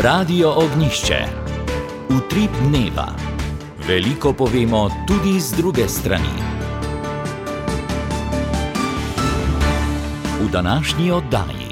Radio Ognišče. Utrip dneva. Veliko povemo tudi z druge strani. V današnji oddaji.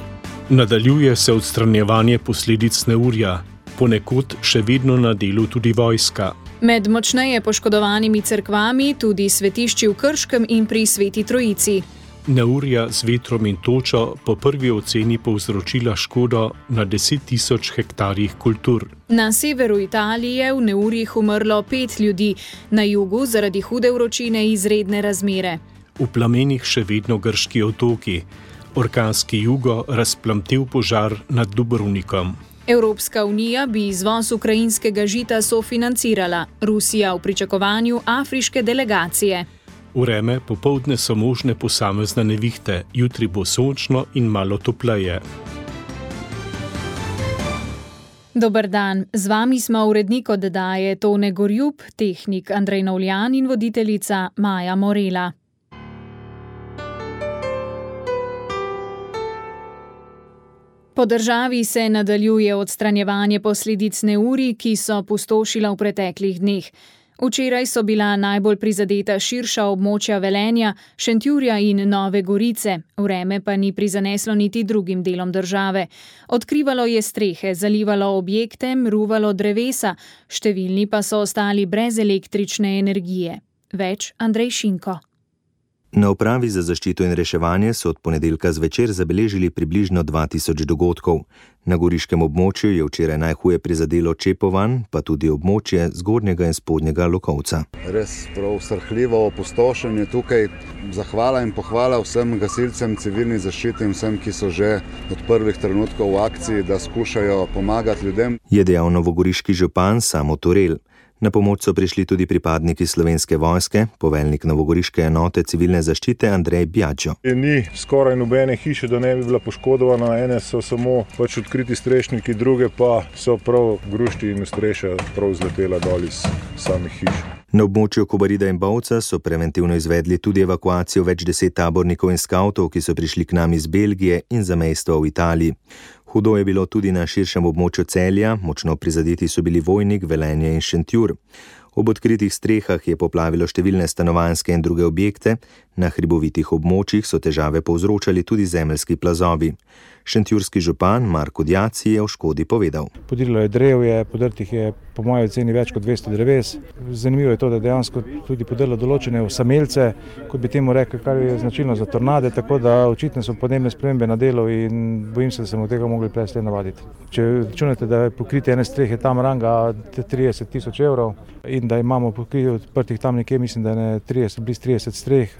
Nadaljuje se odstranjevanje posledic neurja, ponekod še vedno na delu tudi vojska. Med močneje poškodovanimi cerkvami tudi svetišči v Krškem in pri Sveti Trojici. Neurja z vetrom in točo po prvi oceni povzročila škodo na 10.000 hektarjih kultur. Na severu Italije v neurjih umrlo 5 ljudi, na jugu zaradi hude vročine izredne razmere. V plamenih še vedno grški otoki. Orkanski jugo razplamtel požar nad Dubrovnikom. Evropska unija bi izvoz ukrajinskega žita sofinancirala, Rusija v pričakovanju afriške delegacije. Vreme popoldne so možne posamezne nevihte, jutri bo sončno in malo topleje. Dober dan, z vami smo urednik oddaje Tone Gorjup, tehnik Andrej Novljan in voditeljica Maja Morela. Po državi se nadaljuje odstranjevanje posledic neurij, ki so pustošila v preteklih dneh. Včeraj so bila najbolj prizadeta širša območja Velenja, Šentjurja in Nove Gorice, vreme pa ni prizaneslo niti drugim delom države. Odkrivalo je strehe, zalivalo objekte, ruvalo drevesa, številni pa so ostali brez električne energije. Več Andrej Šinko. Na upravi za zaščito in reševanje so od ponedeljka zvečer zabeležili približno 2000 dogodkov. Na goriškem območju je včeraj najhuje prizadelo Čepovan, pa tudi območje Zgornjega in Spodnjega Lokovca. Res prav srhljivo opustošenje tukaj. Zahvala in pohvala vsem gasilcem, civilni zaščiti in vsem, ki so že od prvih trenutkov v akciji, da skušajo pomagati ljudem. Je dejal novogoriški župan Samo Turel. Na pomoč so prišli tudi pripadniki Slovenske vojske, poveljnik novogoriške enote civilne zaščite Andrej Bjađo. Ni skoraj nobene hiše, da ne bi bila poškodovana, ene so samo odkriti strešniki, druge pa so prav grušti in streša prav zletela dol iz samih hiš. Na območju Kobarida in Bovca so preventivno izvedli tudi evakuacijo več 10 tabornikov in skavtov, ki so prišli k nam iz Belgije in zamejstva v Italiji. Hudo je bilo tudi na širšem območju Celja, močno prizadeti so bili Vojnik, Velenje in Šentjur. Ob odkritih strehah je poplavilo številne stanovanjske in druge objekte, na hribovitih območjih so težave povzročali tudi zemeljski plazovi. Šentjurski župan Marko Djaci je o škodi povedal. Podirilo je drevje, podrtih je po moji oceni več kot 200 dreves. Zanimivo je to, da dejansko tudi podrlo določene osamelce, kot bi temu rekli, kar je značilno za tornade, tako da očitno so podnebne spremembe na delu in bojim se, da se bomo tega mogli prej navaditi. Če računate, da je pokritje ene strehe tam ranga 30.000 evrov in da imamo pokritje odprtih tam nekje, mislim, da je bliz 30 streh,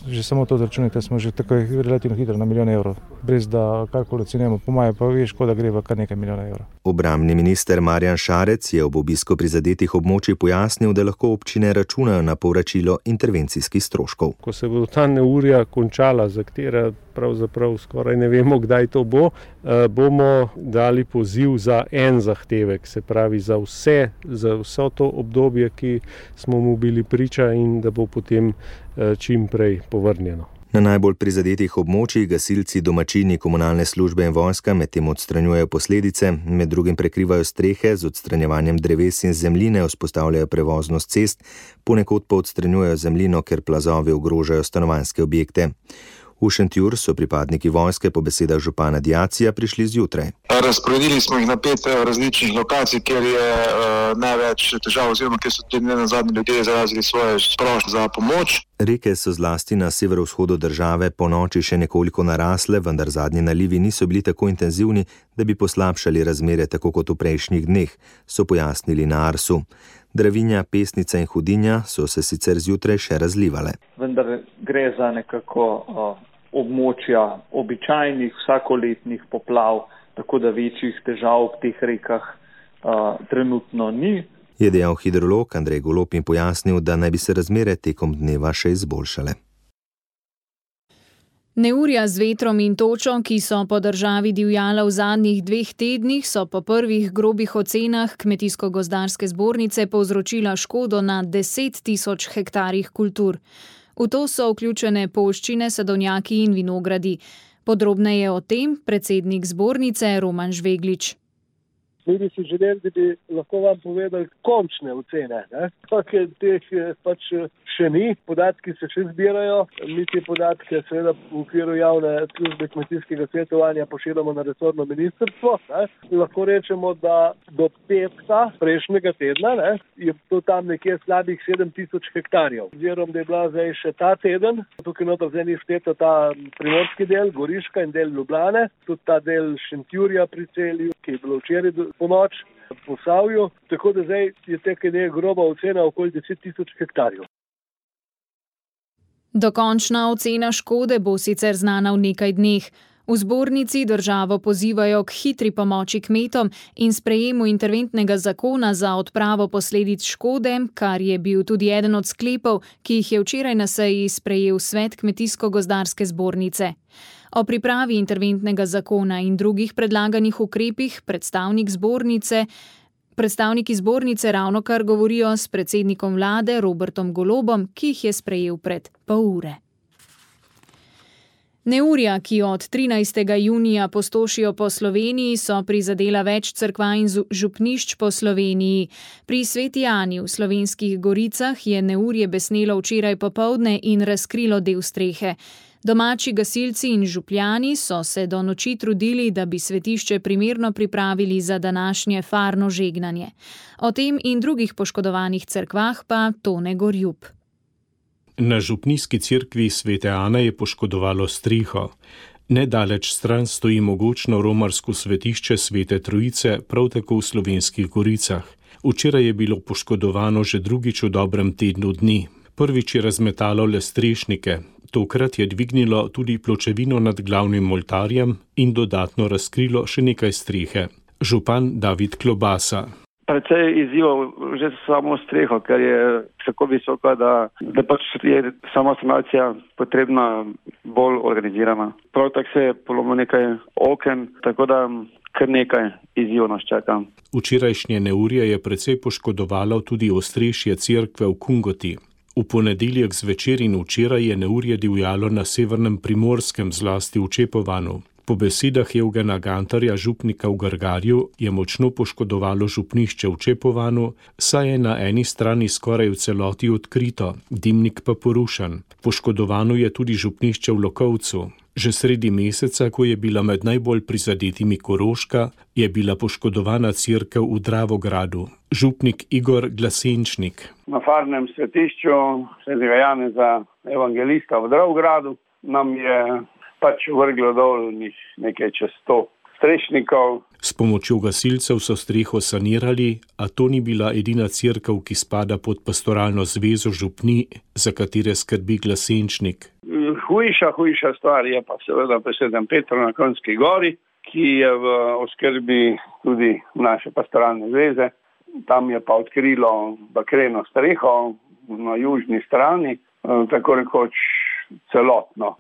že samo to računate, smo že tako relativno hitro na milijon evrov, brez da karkoli ocenjujemo, po moje pa veš, da gre v kar nekaj milijona evrov. Obrambni minister Marjan Šarec je ob obisku prizadetih območij pojasnil, da lahko občine računajo na povračilo intervencijskih stroškov. Ko se bo ta neurja končala, za katera pravzaprav skoraj ne vemo, kdaj to bo, bomo dali poziv za en zahtevek, se pravi za vso to obdobje, ki smo mu bili priča in da bo potem čim prej povrnjeno. Na najbolj prizadetih območjih gasilci, domačini, komunalne službe in vojska medtem odstranjujejo posledice, med drugim prekrivajo strehe, z odstranjevanjem dreves in zemljine vzpostavljajo prevoznost cest, ponekod pa odstranjujejo zemljino, ker plazovi ogrožajo stanovanjske objekte. V Šentjur so pripadniki vojske po besedah župana Djacija prišli zjutraj. Razporedili smo jih na 5 različnih lokacij, kjer je največ težav oziroma kjer so tudi nenazadnje ljudje izrazili svoje prošnje za pomoč. Reke so zlasti na severovzhodu države po noči še nekoliko narasle, vendar zadnji nalivi niso bili tako intenzivni, da bi poslabšali razmere tako kot v prejšnjih dneh, so pojasnili na Arsu. Dravinja, Pesnica in Hudinja so se sicer zjutraj še razlivale. Vendar gre za nekako območja običajnih vsakoletnih poplav, tako da večjih težav v teh rekah trenutno ni. Je dejal hidrolog Andrej Golob in pojasnil, da naj bi se razmere tekom dneva še izboljšale. Neurja z vetrom in točo, ki so po državi divjala v zadnjih 2 tednih, so po prvih grobih ocenah Kmetijsko-gozdarske zbornice povzročila škodo na 10.000 hektarjih kultur. V to so vključene poljščine, sadovnjaki in vinogradi. Podrobneje o tem predsednik zbornice Roman Žveglič. Mi bi si želeli, da bi lahko vam povedali končne ocene. Teh pač še ni, podatki se še zbirajo. Mi te podatke seveda v okviru javne službe kmetijskega svetovanja pošiljamo na resorno ministrstvo. Lahko rečemo, da do petka prejšnjega tedna je to tam nekje slabih 7000 hektarjev. Oziroma, da je bila zdaj še ta teden, tukaj noter zdaj ni všteto ta primorski del, Goriška in del Ljubljane, tudi ta del Šentjurja pri Celju, ki je bilo včeraj ponoč v Posavju, tako da zdaj je teka groba ocena okoli 10 000 hektarjev. Dokončna ocena škode bo sicer znana v nekaj dneh. V zbornici državo pozivajo k hitri pomoči kmetom in sprejemu interventnega zakona za odpravo posledic škode, kar je bil tudi eden od sklepov, ki jih je včeraj na seji sprejel Svet Kmetijsko-gozdarske zbornice. O pripravi interventnega zakona in drugih predlaganih ukrepih predstavniki zbornice ravnokar govorijo s predsednikom vlade Robertom Golobom, ki jih je sprejel pred pol ure. Neurja, ki od 13. junija pustošijo po Sloveniji, so prizadela več cerkva in župnišč po Sloveniji. Pri Sveti Ani v Slovenskih Goricah je neurje besnelo včeraj popoldne in razkrilo del strehe. Domači gasilci in župljani so se do noči trudili, da bi svetišče primerno pripravili za današnje farno žegnanje. O tem in drugih poškodovanih cerkvah pa Tone Gorjup. Na župnijski cerkvi Svete Ane je poškodovalo streho. Nedaleč stran stoji mogočno romarsko svetišče Svete Trojice, prav tako v Slovenskih Goricah. Včeraj je bilo poškodovano že drugič v dobrem tednu dni. Prvič je razmetalo le strešnike. Tokrat je dvignilo tudi pločevino nad glavnim oltarjem in dodatno razkrilo še nekaj strehe. Župan David Klobasa. Precej izzivov že samo streho, ker je tako visoka, da pač je sama sanacija potrebna bolj organizirana. Prav tako se je polomilo nekaj oken, tako da kar nekaj izzivov nas čaka. Včerajšnje neurje je precej poškodovalo tudi ostrešje cerkve v Kungoti. V ponedeljek zvečer in včeraj je neurje divjalo na severnem Primorskem, zlasti v Čepovanu. Po besedah Evgena Gantarja, župnika v Grgarju, je močno poškodovalo župnišče v Čepovanu, saj je na eni strani skoraj v celoti odkrito, dimnik pa porušen. Poškodovano je tudi župnišče v Lokovcu. Že sredi meseca, ko je bila med najbolj prizadetimi Koroška, je bila poškodovana cerkev v Dravogradu. Župnik Igor Glasenčnik. Na farnem svetišču svetega Janeza Evangelista v Dravogradu nam je pač vrglo dol nekaj čez 100 strešnikov. S pomočjo gasilcev so streho sanirali, a to ni bila edina cerkev, ki spada pod pastoralno zvezo župni, za katere skrbi Glasenčnik. Hujša stvar je pa seveda pri Svetem Petru na Kronski gori, ki je v oskrbi tudi naše pastoralne zveze. Tam je pa odkrilo bakreno streho na južni strani, tako rekoč celotno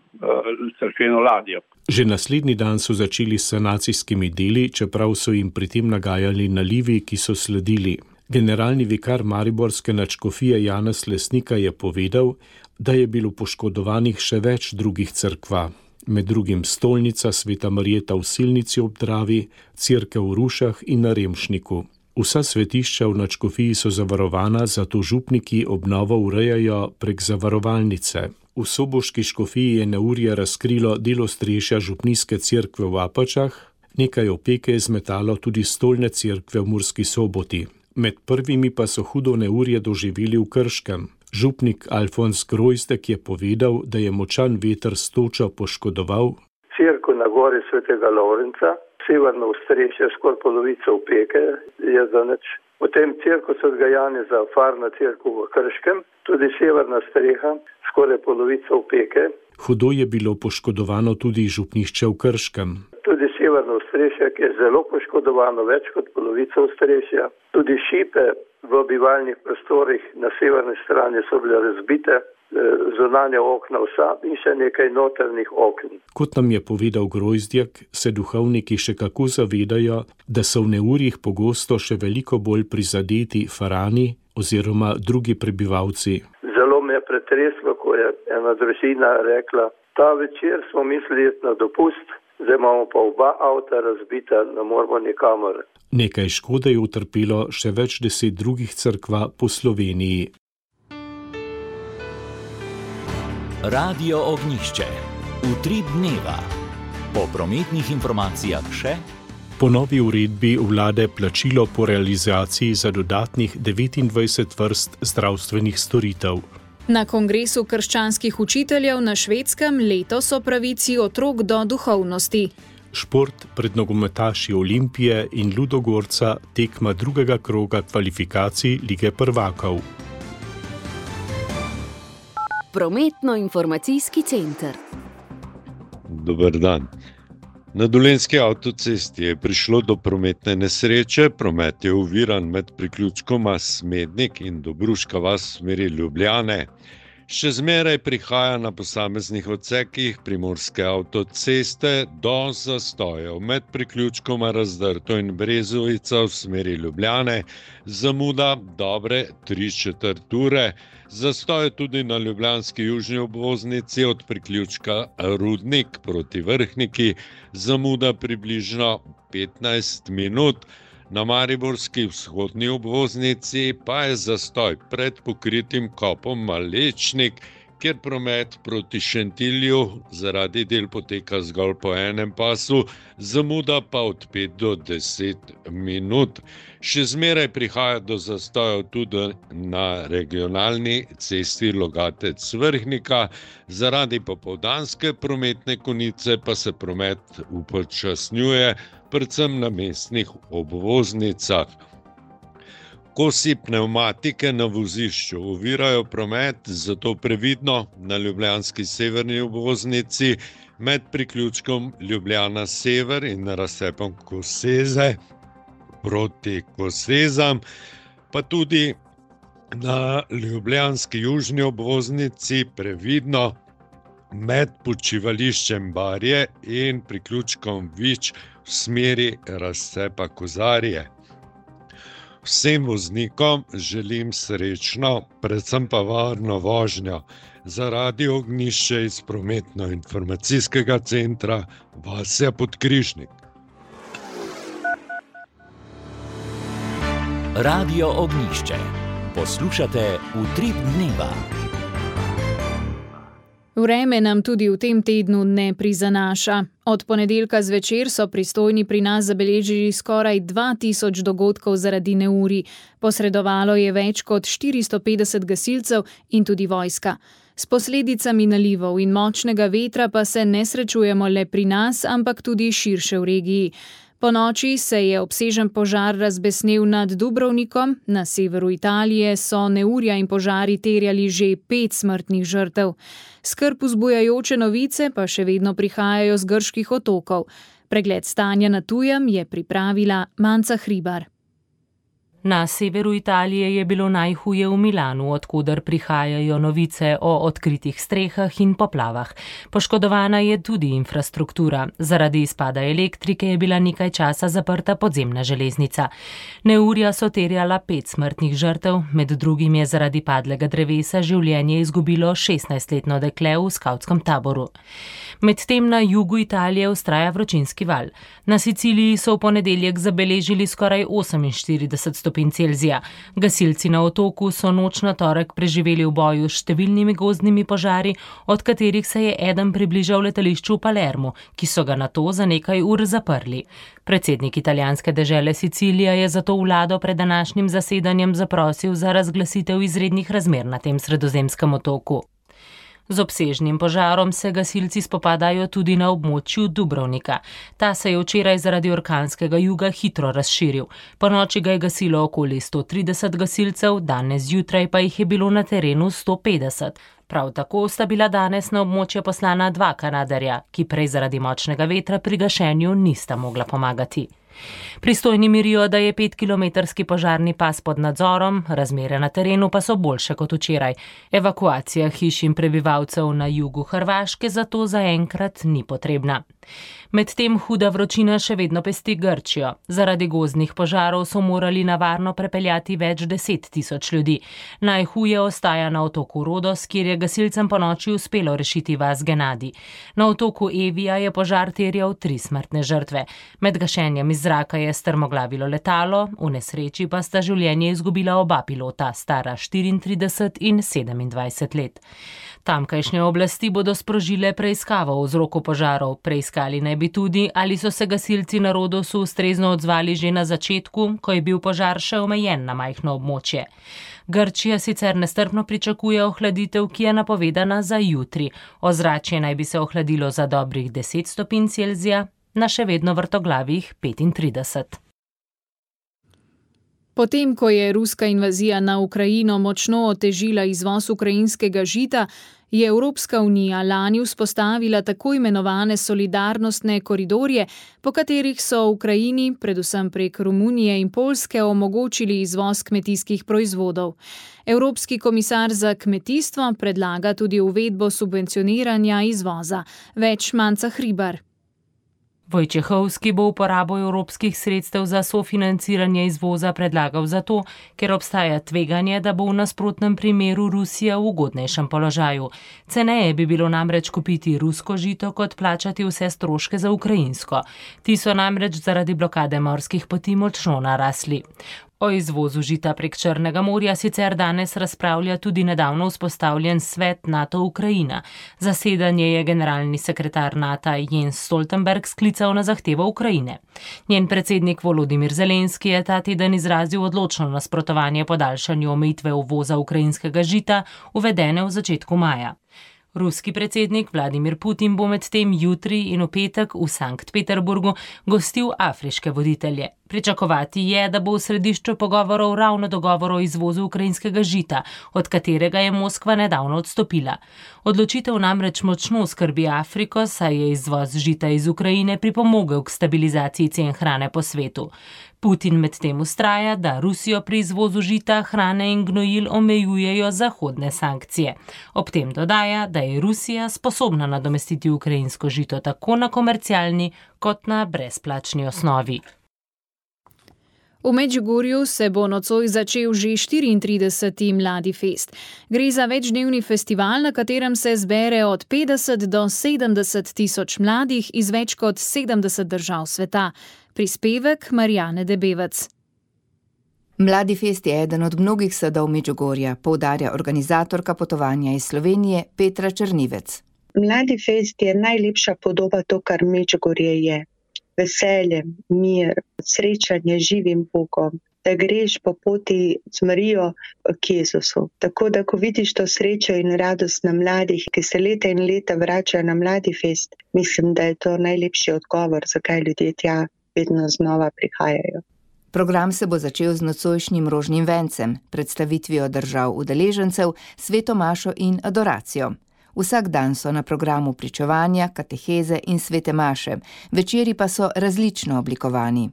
cerkveno ladjo. Že naslednji dan so začeli s sanacijskimi deli, čeprav so jim pri tem nagajali nalivi, ki so sledili. Generalni vikar mariborske nadškofije Janez Lesnika je povedal, da je bilo poškodovanih še več drugih cerkva. Med drugim stolnica Sveta Marjeta v Silnici ob Dravi, cerkev v Rušah in na Remšniku. Vsa svetišča v nadškofiji so zavarovana, zato župniki obnovo urejajo prek zavarovalnice. V soboški škofiji je neurje razkrilo del ostrešja župnijske cerkve v Apačah, nekaj opeke je zmetalo tudi stolne cerkve v Murski Soboti. Med prvimi pa so hudo neurje doživeli v Krškem. Župnik Alfons Grojzdek je povedal, da je močan veter s točo poškodoval cerkev na gori Svetega Lovrenca, severno ostrešje, skoraj polovica opeke je zanič. Potem cerkev Svetega Janeza, farna cerkev v Krškem, tudi severna streha, skoraj polovica opeke. Hudo je bilo poškodovano tudi župnišče v Krškem. Tudi severno ostrešje, ki je zelo poškodovano, več kot polovica ostrešja. Tudi šipe v bivalnih prostorih na severni strani so bile razbite, zunanja okna vsa in še nekaj notrnih okn. Kot nam je povedal Grojzdjak, se duhovniki še kako zavedajo, da so v neurjih pogosto še veliko bolj prizadeti farani oziroma drugi prebivalci. Zelo me je pretreslo, ko je ena družina rekla, ta večer smo mislili iti na dopust zdaj imamo pa oba avta razbita, ne moramo nikamor. Nekaj škode je utrpelo še več 10 drugih cerkva po Sloveniji. Radio Ognjišče. Utrip dneva. Po prometnih informacijah še. Po novi uredbi vlade plačilo po realizaciji za dodatnih 29 vrst zdravstvenih storitev. Na kongresu krščanskih učiteljev na Švedskem letos o pravici otrok do duhovnosti. Šport pred nogometaši Olimpije in Ludogorca tekma drugega kroga kvalifikacij Lige prvakov. Prometno-informacijski center. Dober dan. Na Dolenjski avtocesti je prišlo do prometne nesreče, promet je oviran med priključkoma Smednik in Dobruška vas v smeri Ljubljane. Še zmeraj prihaja na posameznih odsekih primorske avtoceste do zastojev med priključkoma Razdrto in Brezovica v smeri Ljubljane, zamuda dobre 3/4 ure. Zastoj tudi na ljubljanski južni obvoznici od priključka Rudnik proti Vrhniki, zamuda približno 15 minut. Na mariborski vzhodni obvoznici pa je zastoj pred pokritim kopom Malečnik, kjer promet proti Šentilju zaradi del poteka zgolj po enem pasu, zamuda pa od 5 do 10 minut. Še zmeraj prihaja do zastojev tudi na regionalni cesti Logatec-Vrhnika, zaradi popoldanske prometne konice pa se promet upočasnjuje, predvsem na mestnih obvoznicah. Kosi pnevmatike na vozišču ovirajo promet, zato previdno na ljubljanski severni obvoznici med priključkom Ljubljana sever in razcepom Koseze proti Kosezam, pa tudi na ljubljanski južni obvoznici previdno med počivališčem Barje in priključkom Vič v smeri razcepa Kozarje. Vsem voznikom želim srečno, predvsem pa varno vožnjo. Za Radio Ognjišče iz prometno-informacijskega centra Vasja Podkrižnik. Radio Ognjišče. Poslušate Utrip dneva. Vreme nam tudi v tem tednu ne prizanaša. Od ponedeljka zvečer so pristojni pri nas zabeležili skoraj 2000 dogodkov zaradi neurij. Posredovalo je več kot 450 gasilcev in tudi vojska. S posledicami nalivov in močnega vetra pa se ne srečujemo le pri nas, ampak tudi širše v regiji. Ponoči se je obsežen požar razbesnel nad Dubrovnikom, na severu Italije so neurja in požari terjali že 5 smrtnih žrtev. Skrb vzbujajoče novice pa še vedno prihajajo z grških otokov. Pregled stanja na tujem je pripravila Manca Hribar. Na severu Italije je bilo najhuje v Milanu, odkuder prihajajo novice o odkritih strehah in poplavah. Poškodovana je tudi infrastruktura. Zaradi izpada elektrike je bila nekaj časa zaprta podzemna železnica. Neurja so terjala 5 smrtnih žrtev, med drugim je zaradi padlega drevesa življenje izgubilo 16-letno dekle v skavtskem taboru. Medtem na jugu Italije vztraja vročinski val. Na Siciliji so v ponedeljek zabeležili skoraj 48 stopinj Celzija. Gasilci na otoku so noč na torek preživeli v boju s številnimi gozdnimi požari, od katerih se je eden približal letališču v Palermu, ki so ga nato za nekaj ur zaprli. Predsednik italijanske dežele Sicilija je zato vlado pred današnjim zasedanjem zaprosil za razglasitev izrednih razmer na tem sredozemskem otoku. Z obsežnim požarom se gasilci spopadajo tudi na območju Dubrovnika. Ta se je včeraj zaradi orkanskega juga hitro razširil. Ponoči ga je gasilo okoli 130 gasilcev, danes zjutraj pa jih je bilo na terenu 150. Prav tako sta bila danes na območje poslana 2 Kanadarja, ki prej zaradi močnega vetra pri gašenju nista mogla pomagati. Pristojni mirijo, da je 5-kilometrski požarni pas pod nadzorom, razmere na terenu pa so boljše kot včeraj. Evakuacija hiš in prebivalcev na jugu Hrvaške zato zaenkrat ni potrebna. Medtem huda vročina še vedno pesti Grčijo. Zaradi gozdnih požarov so morali na varno prepeljati več 10 000 ljudi. Najhuje ostaja na otoku Rodos, kjer je gasilcem ponoči uspelo rešiti vas Genadi. Na otoku Evija je požar terjal 3 smrtne žrtve. Med gašenjem iz zraka je strmoglavilo letalo, v nesreči pa sta življenje izgubila oba pilota, stara 34 in 27 let. Tamkajšnje oblasti bodo sprožile preiskavo o vzroku požarov. Preiskali naj bi tudi, ali so se gasilci na Rodosu ustrezno odzvali že na začetku, ko je bil požar še omejen na majhno območje. Grčija sicer nestrpno pričakuje ohladitev, ki je napovedana za jutri. Ozračje naj bi se ohladilo za dobrih 10 stopinj Celzija, na še vedno vrtoglavih 35. Potem, ko je ruska invazija na Ukrajino močno otežila izvoz ukrajinskega žita, je Evropska unija lani vzpostavila tako imenovane solidarnostne koridorje, po katerih so Ukrajini, predvsem prek Romunije in Poljske, omogočili izvoz kmetijskih proizvodov. Evropski komisar za kmetijstvo predlaga tudi uvedbo subvencioniranja izvoza. Več Manca Hribar. Wojciechowski bo uporabo evropskih sredstev za sofinanciranje izvoza predlagal zato, ker obstaja tveganje, da bo v nasprotnem primeru Rusija v ugodnejšem položaju. Ceneje bi bilo namreč kupiti rusko žito, kot plačati vse stroške za ukrajinsko. Ti so namreč zaradi blokade morskih poti močno narasli. O izvozu žita prek Črnega morja sicer danes razpravlja tudi nedavno vzpostavljen svet NATO-Ukrajina. Zasedanje je generalni sekretar NATO Jens Stoltenberg sklical na zahtevo Ukrajine. Njen predsednik Volodimir Zelenski je ta teden izrazil odločno nasprotovanje podaljšanju omejitve uvoza ukrajinskega žita, uvedene v začetku maja. Ruski predsednik Vladimir Putin bo medtem jutri in v petek v Sankt Peterburgu gostil afriške voditelje. Pričakovati je, da bo v središču pogovorov ravno dogovor o izvozu ukrajinskega žita, od katerega je Moskva nedavno odstopila. Odločitev namreč močno skrbi Afriko, saj je izvoz žita iz Ukrajine pripomogel k stabilizaciji cen hrane po svetu. Putin medtem vztraja, da Rusijo pri izvozu žita, hrane in gnojil omejujejo zahodne sankcije. Ob tem dodaja, da je Rusija sposobna nadomestiti ukrajinsko žito tako na komercialni kot na brezplačni osnovi. V Medžugorju se bo nocoj začel že 34. Mladi fest. Gre za večdnevni festival, na katerem se zbere od 50 do 70 tisoč mladih iz več kot 70 držav sveta. Prispevek Marjane Debevec. Mladi fest je eden od mnogih sadov Medžugorja, poudarja organizatorka potovanja iz Slovenije Petra Črnivec. Mladi fest je najlepša podoba to, kar Medžugorje je. Veselje, mir, srečanje z živim Bogom, da greš po poti z Marijo k Jezusu. Tako da, ko vidiš to srečo in radost na mladih, ki se leta in leta vračajo na Mladi fest, mislim, da je to najlepši odgovor, zakaj ljudje tja vedno znova prihajajo. Program se bo začel z nocojšnjim rožnim vencem, predstavitvijo držav udeležencev, sveto mašo in adoracijo. Vsak dan so na programu pričevanja, kateheze in svete maše, večeri pa so različno oblikovani.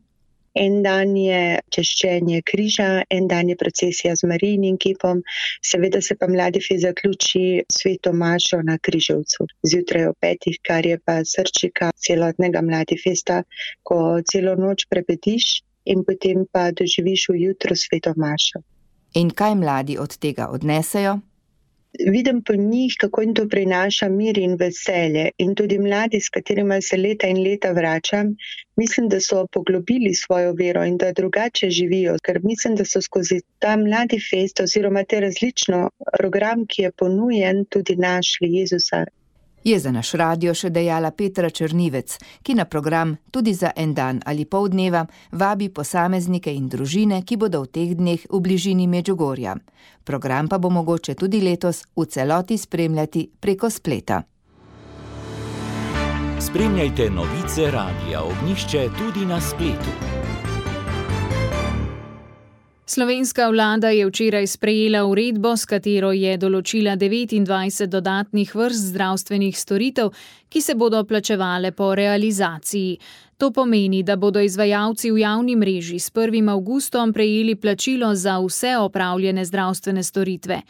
En dan je češčenje križa, en dan je procesija z Marijinim kipom, seveda se pa Mladi fest zaključi sveto mašo na Križevcu, zjutraj ob 5, kar je pa srčika celotnega Mladi festa, ko celo noč prebediš in potem pa doživiš v jutro sveto mašo. In kaj mladi od tega odnesejo? Vidim po njih, kako jim to prinaša mir in veselje. In tudi mladi, s katerima se leta in leta vračam, mislim, da so poglobili svojo vero in da drugače živijo. Ker mislim, da so skozi ta Mladi fest oziroma te različno program, ki je ponujen, tudi našli Jezusa. Je za naš radio še dejala Petra Črnivec, ki na program tudi za en dan ali pol dneva vabi posameznike in družine, ki bodo v teh dneh v bližini Medžugorja. Program pa bo mogoče tudi letos v celoti spremljati preko spleta. Spremljajte novice Radia Ognjišče tudi na spletu. Slovenska vlada je včeraj sprejela uredbo, s katero je določila 29 dodatnih vrst zdravstvenih storitev, ki se bodo plačevale po realizaciji. To pomeni, da bodo izvajalci v javni mreži s 1. avgustom prejeli plačilo za vse opravljene zdravstvene storitve.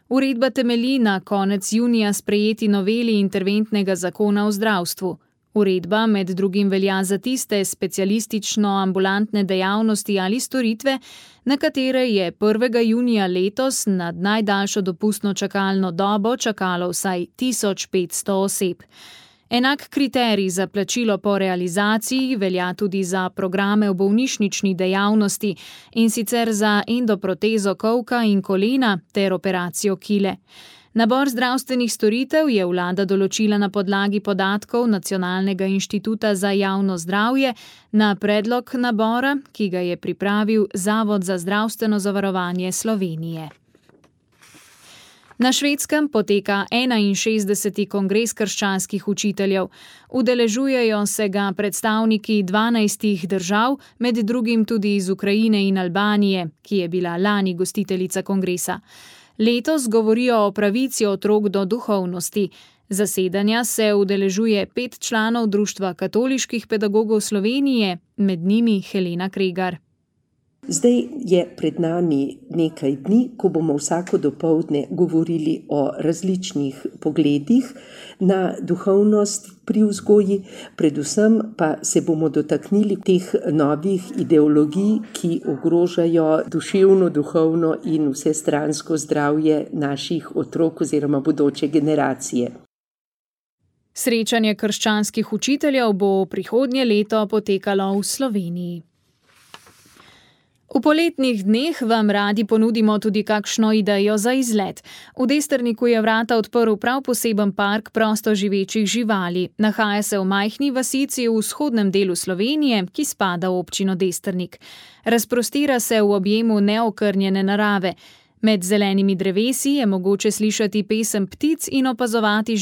Uredba temelji na konec junija sprejeti noveli interventnega zakona o zdravstvu. Uredba med drugim velja za tiste specialistično-ambulantne dejavnosti ali storitve, na katere je 1. junija letos nad najdaljšo dopustno čakalno dobo čakalo vsaj 1500 oseb. Enak kriterij za plačilo po realizaciji velja tudi za programe v bolnišnični dejavnosti, in sicer za endoprotezo kolka in kolena ter operacijo kile. Nabor zdravstvenih storitev je vlada določila na podlagi podatkov Nacionalnega inštituta za javno zdravje na predlog nabora, ki ga je pripravil Zavod za zdravstveno zavarovanje Slovenije. Na Švedskem poteka 61. kongres krščanskih učiteljev. Udeležujejo se ga predstavniki 12 držav, med drugim tudi iz Ukrajine in Albanije, ki je bila lani gostiteljica kongresa. Letos govorijo o pravici otrok do duhovnosti. Zasedanja se udeležuje 5 članov Društva katoliških pedagogov Slovenije, med njimi Helena Kregar. Zdaj je pred nami nekaj dni, ko bomo vsako dopoldne govorili o različnih pogledih na duhovnost pri vzgoji, predvsem pa se bomo dotaknili teh novih ideologij, ki ogrožajo duševno, duhovno in vsestransko zdravje naših otrok oziroma bodoče generacije. Srečanje krščanskih učiteljev bo prihodnje leto potekalo v Sloveniji. V poletnih dneh vam radi ponudimo tudi kakšno idejo za izlet. V Destrniku je vrata odprl prav poseben park prostoživečih živali. Nahaja se v majhni vasici v vzhodnem delu Slovenije, ki spada v občino Destrnik. Razprostira se v objemu neokrnjene narave. Med zelenimi drevesi je mogoče slišati pesem ptic in opazovati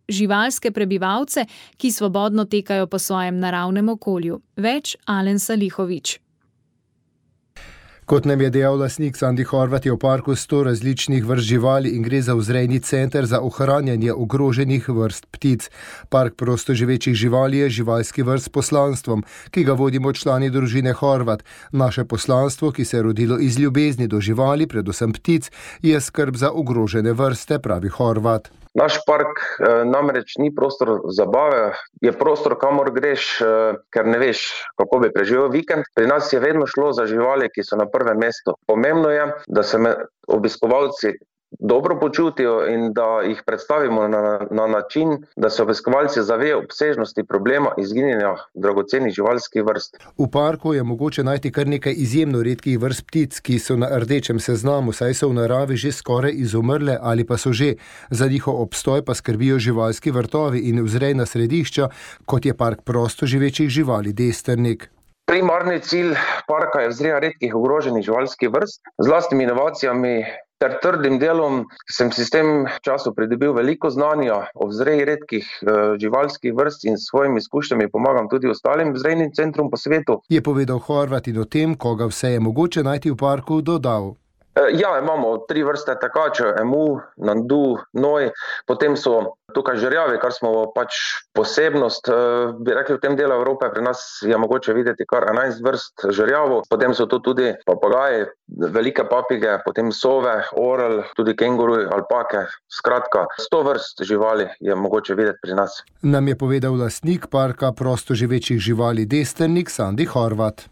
živalske prebivalce, ki svobodno tekajo po svojem naravnem okolju. Več Alen Salihovič. Kot nam je dejal lastnik Sandi Horvat, je v parku 100 različnih vrst živali in gre za vzrejni center za ohranjanje ogroženih vrst ptic. Park prostoživečih živali je živalski vrt s poslanstvom, ki ga vodimo člani družine Horvat. Naše poslanstvo, ki se je rodilo iz ljubezni do živali, predvsem ptic, je skrb za ogrožene vrste, pravi Horvat. Naš park namreč ni prostor zabave, je prostor, kamor greš, ker ne veš, kako bi preživel vikend. Pri nas je vedno šlo za živali, ki so na prvem mestu. Pomembno je, da se obiskovalci dobro počutijo in da jih predstavimo na način, da se obiskovalci zavejo obsežnosti problema izginjanja dragocenih živalskih vrst. V parku je mogoče najti kar nekaj izjemno redkih vrst ptic, ki so na rdečem seznamu, saj so v naravi že skoraj izumrle ali pa so že. Za njihov obstoj pa skrbijo živalski vrtovi in vzrejna središča, kot je park prostoživečih živali Destrnik. Primarni cilj parka je vzreja redkih ogroženih živalskih vrst. Z lastnimi inovacijami ter trdim delom sem si s tem času pridobil veliko znanja o vzreji redkih živalskih vrst in s svojimi izkušnjami pomagam tudi ostalim vzrejnim centrom po svetu. Je povedal Horvat in o tem, koga vse je mogoče najti v parku, dodal. Ja, imamo 3 vrste tekačev, emu, nandu, noj, potem so tukaj žerjavi, kar smo pač posebnost, bi rekli v tem delu Evrope, pri nas je mogoče videti kar 11 vrst žerjavov, potem so tu tudi papagaji, velike papige, potem sove, orel, tudi kenguruji, alpake, skratka 100 vrst živali je mogoče videti pri nas. Nam je povedal lastnik parka prostoživečih živali Destrnik Sandi Horvat.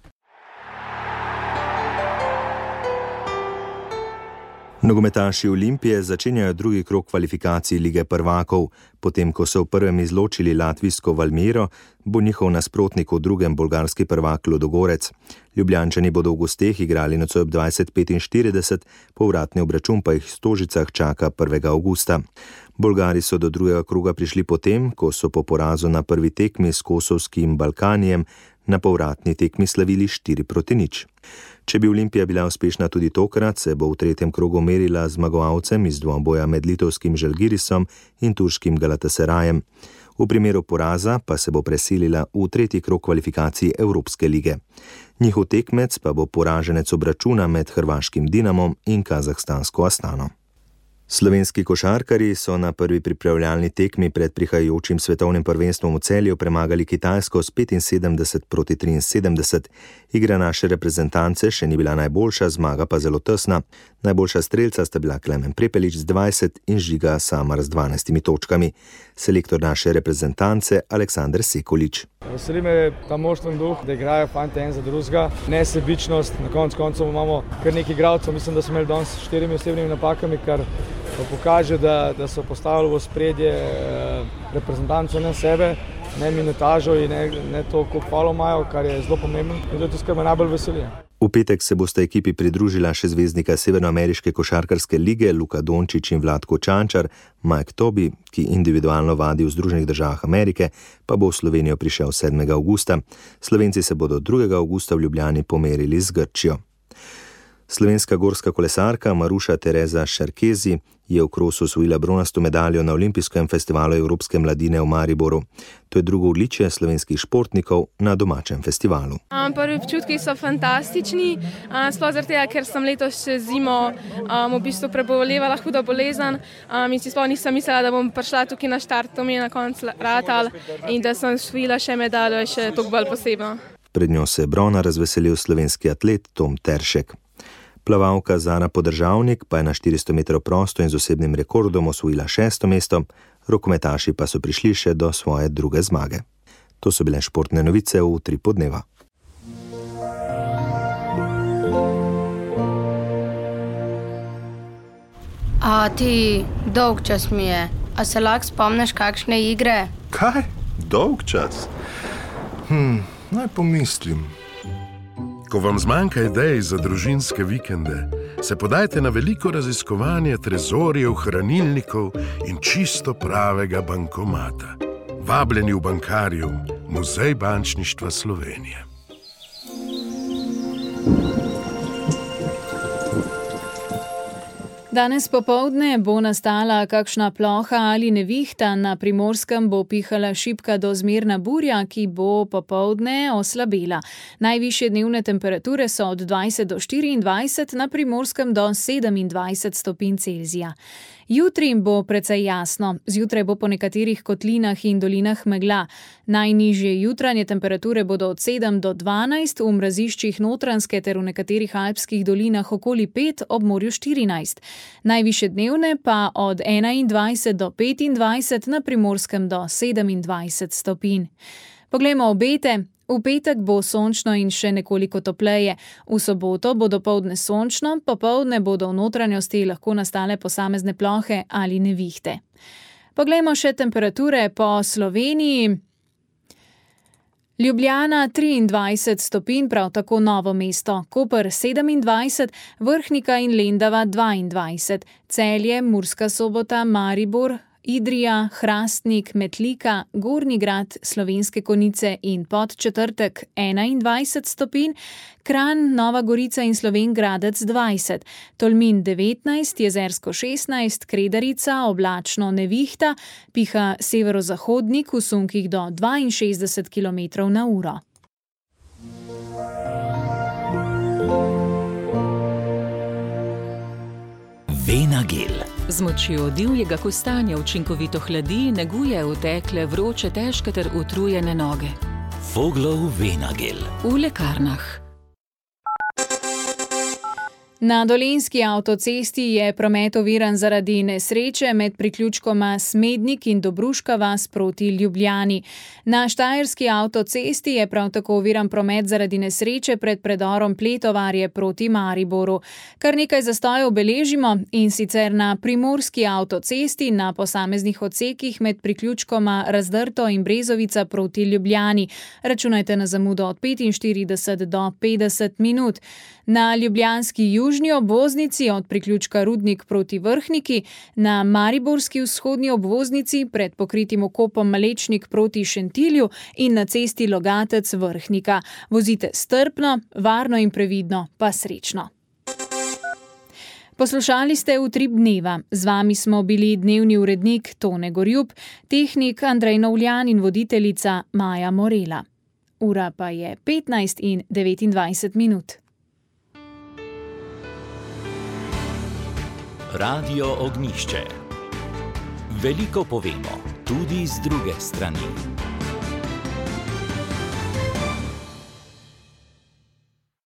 Nogometaši Olimpije začenjajo drugi krog kvalifikacij Lige prvakov. Potem, ko so v prvem izločili latvijsko Valmiero, bo njihov nasprotnik v drugem bolgarski prvak Ludogorec. Ljubljančani bodo v gosteh igrali nocoj ob 20:45, povratni obračun pa jih v Stožicah čaka 1. avgusta. Bolgari so do drugega kroga prišli potem, ko so po porazu na prvi tekmi s kosovskim Balkanijem na povratni tekmi slavili 4-0. Če bi Olimpija bila uspešna tudi tokrat, se bo v tretjem krogu merila z zmagovalcem iz dvoboja med litovskim Žalgirisom in turškim Galatasarajem. V primeru poraza pa se bo preselila v tretji krog kvalifikacij Evropske lige. Njihov tekmec pa bo poraženec obračuna med hrvaškim Dinamom in kazahstansko Astano. Slovenski košarkarji so na prvi pripravljalni tekmi pred prihajajočim svetovnim prvenstvom v Celju premagali Kitajsko s 75-73. Igra naše reprezentance še ni bila najboljša, zmaga pa zelo tesna. Najboljša strelca sta bila Klemen Prepelič z 20 in Žiga Samar z 12 točkami. Selektor naše reprezentance Aleksander Sekulič. Veseli me ta moštven duh, da igrajo fanti en za drugega, nesebičnost, na koncu imamo kar nekaj igralcev, mislim, da smo imeli danes s 4 osebnimi napakami, kar pokaže, da so postavili v ospredje reprezentanco ne sebe, ne minutažo in ne to, koliko falov imajo, kar je zelo pomembno in to je tisto, kar me najbolj veseli. V petek se bosta ekipi pridružila še zvezdnika Severnoameriške košarkarske lige Luka Dončić in Vlatko Čančar, Mike Tobi, ki individualno vadi v Združenih državah Amerike, pa bo v Slovenijo prišel 7. avgusta. Slovenci se bodo 2. avgusta v Ljubljani pomerili z Grčijo. Slovenska gorska kolesarka Maruša Tereza Šarkezi je v krosu osvojila bronasto medaljo na Olimpijskem festivalu Evropske mladine v Mariboru. To je drugo odličje slovenskih športnikov na domačem festivalu. Prvi občutki so fantastični, sploh zaradi tega, ker sem letos še zimo v bistvu prebolevala hudo bolezen in si sploh nisem mislila, da bom prišla tukaj na štart, to mi je na koncu ratal in da sem osvojila še medaljo, je še toliko bolj posebno. Pred njo se je brona razveselil slovenski atlet Tom Teršek. Plavalka Zara Podržavnik pa je na 400 metrov prosto in z osebnim rekordom osvojila 6. mesto, rokometaši pa so prišli še do svoje druge zmage. To so bile športne novice v Utripu dneva. A ti, dolg čas mi je. A se lahko spomniš kakšne igre? Kaj? Dolg čas? Naj pomislim. Ko vam zmanjka idej za družinske vikende, se podajte na veliko raziskovanje trezorjev, hranilnikov in čisto pravega bankomata. Vabljeni v Bankarium, Muzej bančništva Slovenije. Danes popoldne bo nastala kakšna ploha ali nevihta, na Primorskem bo pihala šibka do zmerna burja, ki bo popoldne oslabela. Najvišje dnevne temperature so od 20 do 24, na Primorskem do 27 stopinj Celzija. Jutri bo precej jasno, zjutraj bo po nekaterih kotlinah in dolinah megla. Najnižje jutranje temperature bodo od 7 do 12, v mraziščih Notranjske ter v nekaterih alpskih dolinah okoli 5, ob morju 14. Najvišje dnevne pa od 21 do 25, na Primorskem do 27 stopinj. Poglejmo obete. V petek bo sončno in še nekoliko topleje. V soboto bo dopoldne sončno, popoldne bodo v notranjosti lahko nastale posamezne plohe ali nevihte. Poglejmo še temperature po Sloveniji. Ljubljana 23 stopinj, prav tako Novo mesto, Koper 27, Vrhnika in Lendava 22, Celje, Murska Sobota, Maribor, Idrija, Hrastnik, Metlika, Gornji Grad, Slovenske Konjice in Podčetrtek 21 stopinj, Kranj, Nova Gorica in Slovenj Gradec 20, Tolmin 19, Jezersko 16, Kredarica, oblačno nevihta, piha severozahodnik v sunkih do 62 km/h. Venagel. Z močjo divjega kostanja učinkovito hladi, neguje utekle, vroče, težke ter utrujene noge. Voglov Venagel. V lekarnah. Na Dolenjski avtocesti je promet oviran zaradi nesreče med priključkoma Smednik in Dobruška vas proti Ljubljani. Na Štajerski avtocesti je prav tako oviran promet zaradi nesreče pred predorom Pletovarje proti Mariboru. Kar nekaj zastojev beležimo, in sicer na Primorski avtocesti na posameznih odsekih med priključkoma Razdrto in Brezovica proti Ljubljani. Računajte na zamudo od 45 do 50 minut. Na ljubljanski južni obvoznici od priključka Rudnik proti Vrhniki, na mariborski vzhodni obvoznici pred pokritim okopom Malečnik proti Šentilju in na cesti Logatec Vrhnika. Vozite strpno, varno in previdno, pa srečno. Poslušali ste Utrip dneva. Z vami smo bili dnevni urednik Tone Gorjup, tehnik Andrej Novljan in voditeljica Maja Morela. Ura pa je 15:29. Radio Ognišče. Veliko povemo tudi z druge strani.